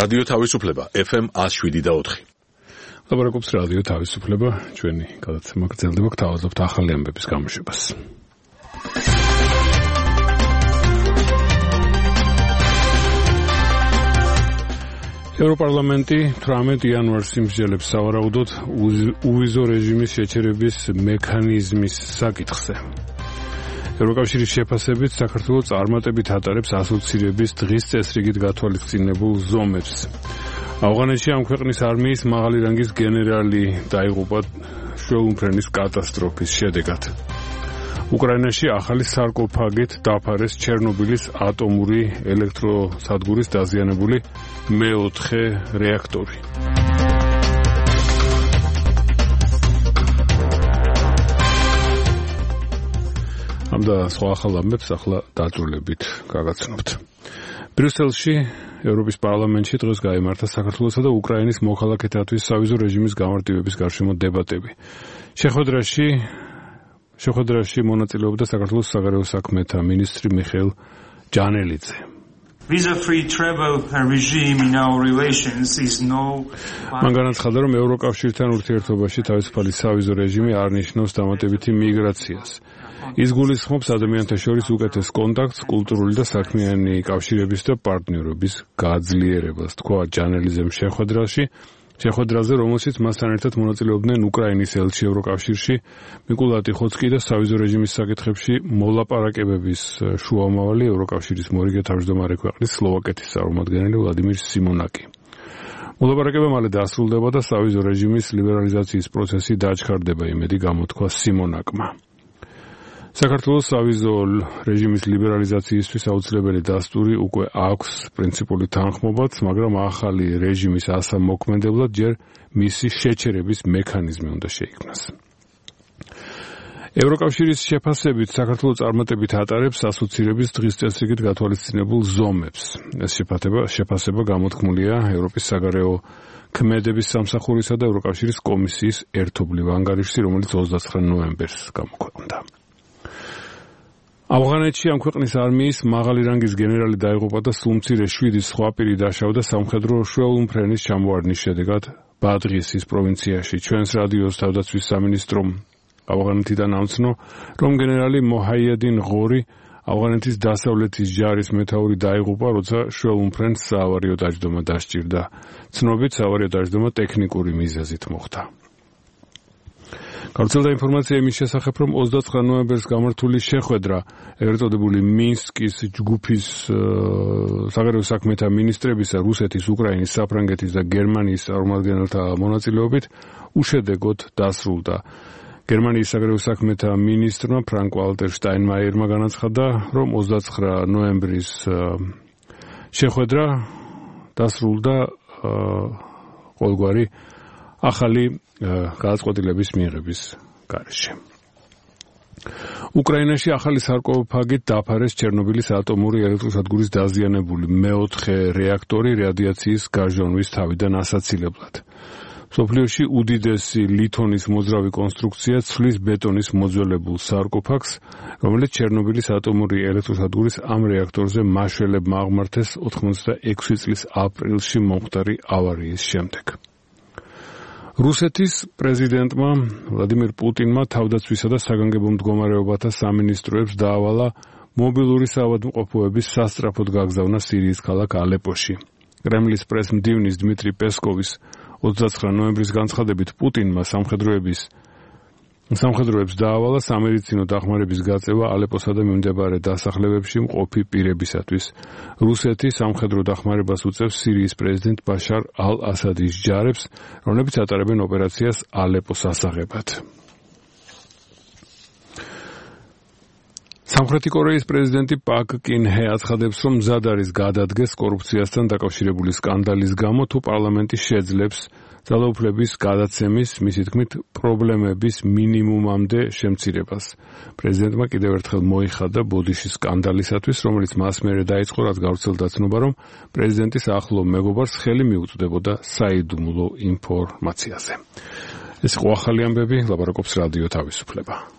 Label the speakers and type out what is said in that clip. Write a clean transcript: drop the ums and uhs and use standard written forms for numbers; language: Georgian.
Speaker 1: რადიო თავისუფლება FM 107.4.
Speaker 2: ლაპარაკობს რადიო თავისუფლება, ჩვენი გადაცემა გრძელდება, გთავაზობთ ახალი ამბების გამოშვებას. ევროპარლამენტი 18 იანვარს იმსჯელებს სავარაუდოდ უვიზო რეჟიმის შეჩერების მექანიზმის საკითხზე. ევროკავშირის შეფასებით საქართველოს წარმატებით ატარებს ასოცირების დღის წესრიგით გათვალისწინებულ ზომებს. ავღანეთში ამ ქვეყნის არმიის მაღალი რანგის გენერალი დაიღუპა შუაუმფრენის კატასტროფის შედეგად. უკრაინაში ახალი სარკოფაგით დაფარეს ჩერნობილის ატომური ელექტროსადგურის დაზიანებული მეოთხე რეაქტორი. ამ და სხვა ახალ ამბებს ახლა დაწვრილებით გაგაცნობთ. ბრიუსელში ევროპის პარლამენტში დღეს გაიმართა საქართველოსა და უკრაინის მოქალაქეთათვის სავიზო რეჟიმის გამარტივების გარშემო დებატები. შეხვედრაში მონაწილეობდა საქართველოს საგარეო საქმეთა მინისტრი მიხეილ ჯანელიძე.
Speaker 3: Visa-free travel regime in our relations is
Speaker 2: მან განაცხადა, რომ ევროკავშირთან ურთიერთობაში თავისუფალი სავიზო რეჟიმი არ ნიშნავს დამატებითი მიგრაციას. ის გულისხმობს ადამიანთა შორის უკეთეს კონტაქტს, კულტურული და საქმიანი კავშირების და პარტნიორობის გაძლიერებას, თქვა ჯანელიძემ შეხვედრაზე, რომელშიც მასთან ერთად მონაწილეობდნენ უკრაინის ელჩი ევროკავშირში მიკოლა ტიხოცკი და სავიზო რეჟიმის საკითხებში მოლაპარაკებების შუამავალი ევროკავშირის მორიგე თავმჯდომარე ქვეყნის სლოვაკეთის წარმომადგენელი ვლადიმირ სიმონაკი. მოლაპარაკება მალე დასრულდება და სავიზო რეჟიმის ლიბერალიზაციის პროცესი დაჩქარდება, იმედი გამოთქვა სიმონაკმა. საქართველოს სავიზო რეჟიმის ლიბერალიზაციისთვის აუცილებელი დასტური უკვე აქვს პრინციპული თანხმობაც, მაგრამ ახალი რეჟიმის ასამოქმედებლად ჯერ მისი შეჩერების მექანიზმი უნდა შეიქმნას. ევროკავშირის შეფასებით საქართველოს წარმატებით ატარებს ასოცირების დღის წესრიგით გათვალისწინებულ ზომებს. ეს შეფასება გამოთქმულია ევროპის საგარეო ქმედების სამსახურისა და ევროკავშირის კომისიის ერთობლივ ანგარიშში, რომელიც 29 ნოემბერს გამოქვეყნდა. ავღანეთში ამ ქვეყნის არმიის მაღალი რანგის გენერალი დაიღუპა და სულ მცირე 7 სხვა პირი დაშავდა სამხედრო შუაუმფრენის ჩამოვარდნის შედეგად ბადღისის პროვინციაში. ჩვენს რადიოს თავდაცვის სამინისტრომ ავღანეთიდან ამცნო, რომ გენერალი მოჰაიედინ ღორი ავღანეთის დასავლეთის ჯარის მეთაური დაიღუპა, როცა შუაუმფრენს საავარიო დაჯდომა დასჭირდა. ცნობით საავარიო დაჯდომა ტექნიკური მიზეზით მოხდა. გავრცელდა ინფორმაცია იმის შესახებ, რომ 29 ნოემბერს გამართული შეხვედრა ეგრეთ წოდებული მინსკის ჯგუფის საგარეო საქმეთა მინისტრებისა, რუსეთის, უკრაინის, საფრანგეთის და გერმანიის წარმომადგენელთა მონაწილეობით უშედეგოდ დასრულდა. გერმანიის საგარეო საქმეთა მინისტრმა ფრანკ ვალტერ შტაინმაიერმა განაცხადა, რომ 29 ნოემბრის შეხვედრა დასრულდა ყოველგვარი ახალი გადაწყვეტილების მიღების გარეშე. უკრაინაში ახალი სარკოფაგით დაფარეს ჩერნობილის ატომური ელექტროსადგურის დაზიანებული მეოთხე რეაქტორი რადიაციის გარჟონვის თავიდან ასაცილებლად. მსოფლიოში უდიდესი ლითონის მოძრავი კონსტრუქცია ცვლის ბეტონის მოძველებულ სარკოფაგს, რომელიც ჩერნობილის ატომური ელექტროსადგურის ამ რეაქტორზე მაშველებმა აღმართეს 86 წლის აპრილში მომხდარი ავარიის შემდეგ. რუსეთის პრეზიდენტმა ვლადიმირ პუტინმა თავდაცვისა და საგანგებო მდგომარეობათა სამინისტროებს დაავალა მობილური საავადმყოფოების სასწრაფოდ გაგზავნა სირიის ქალაქ ალეპოში. კრემლის პრესმდივნის დმიტრი პესკოვის 29 ნოემბრის განცხადებით პუტინმა სამხედროებს დაავალა სამედიცინო დახმარების გაწევა ალეპოსა და მიმდებარე დასახლებებში მყოფი პირებისათვის. რუსეთი სამხედრო დახმარებას უწევს სირიის პრეზიდენტ ბაშარ ალ-ასადის ჯარებს, რომლებიც ატარებენ ოპერაციას ალეპოს ასაღებად. სამხრეთი კორეის პრეზიდენტი პაკ კინ ჰე აცხადებს, რომ მზად არის გადადგეს კორუფციასთან დაკავშირებული სკანდალის გამო, თუ პარლამენტი შეძლებს ძალაუფლების გადაცემის, მისი თქმით, პრობლემების მინიმუმამდე შემცირებას. პრეზიდენტმა კიდევ ერთხელ მოიხადა ბოდიშის სკანდალისათვის, რომელიც მას მერე დაიწყო, რაც გავრცელდა ცნობა, რომ პრეზიდენტის ახლო მეგობარს ხელი მიუწვდებოდა საიდუმლო ინფორმაციაზე. ეს იყო ახალი ამბები, ლაპარაკობს რადიო თავისუფლება.